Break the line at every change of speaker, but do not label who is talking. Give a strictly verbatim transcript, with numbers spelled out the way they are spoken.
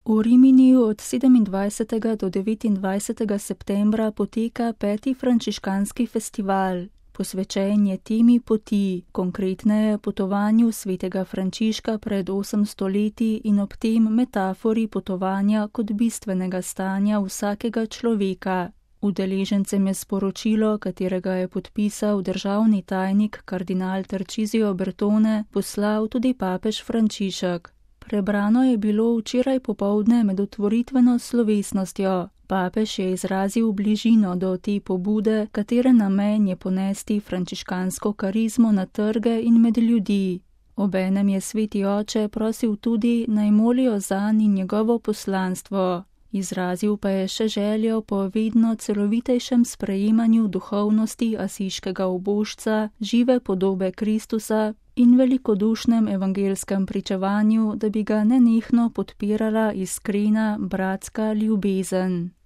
V Riminiju od sedemindvajsetega do devetindvajsetega septembra poteka peti frančiškanski festival. Posvečen je temi poti, konkretneje potovanju svetega Frančiška pred osemsto leti in ob tem metafori potovanja kot bistvenega stanja vsakega človeka. Udeležencem je sporočilo, katerega je podpisal državni tajnik kardinal Tarcisio Bertone, poslal tudi papež Frančišek. Prebrano je bilo včeraj popoldne med otvoritveno slovesnostjo. Papež je izrazil bližino do te pobude, katere namen je ponesti frančiškansko karizmo na trge in med ljudi. Obenem je sveti oče prosil tudi, naj molijo zanj in njegovo poslanstvo. Izrazil pa je še željo po vedno celovitejšem sprejemanju duhovnosti asiškega ubožca, žive podobe Kristusa in velikodušnem evangelskem pričevanju, da bi ga nenehno podpirala iskrena bratska ljubezen.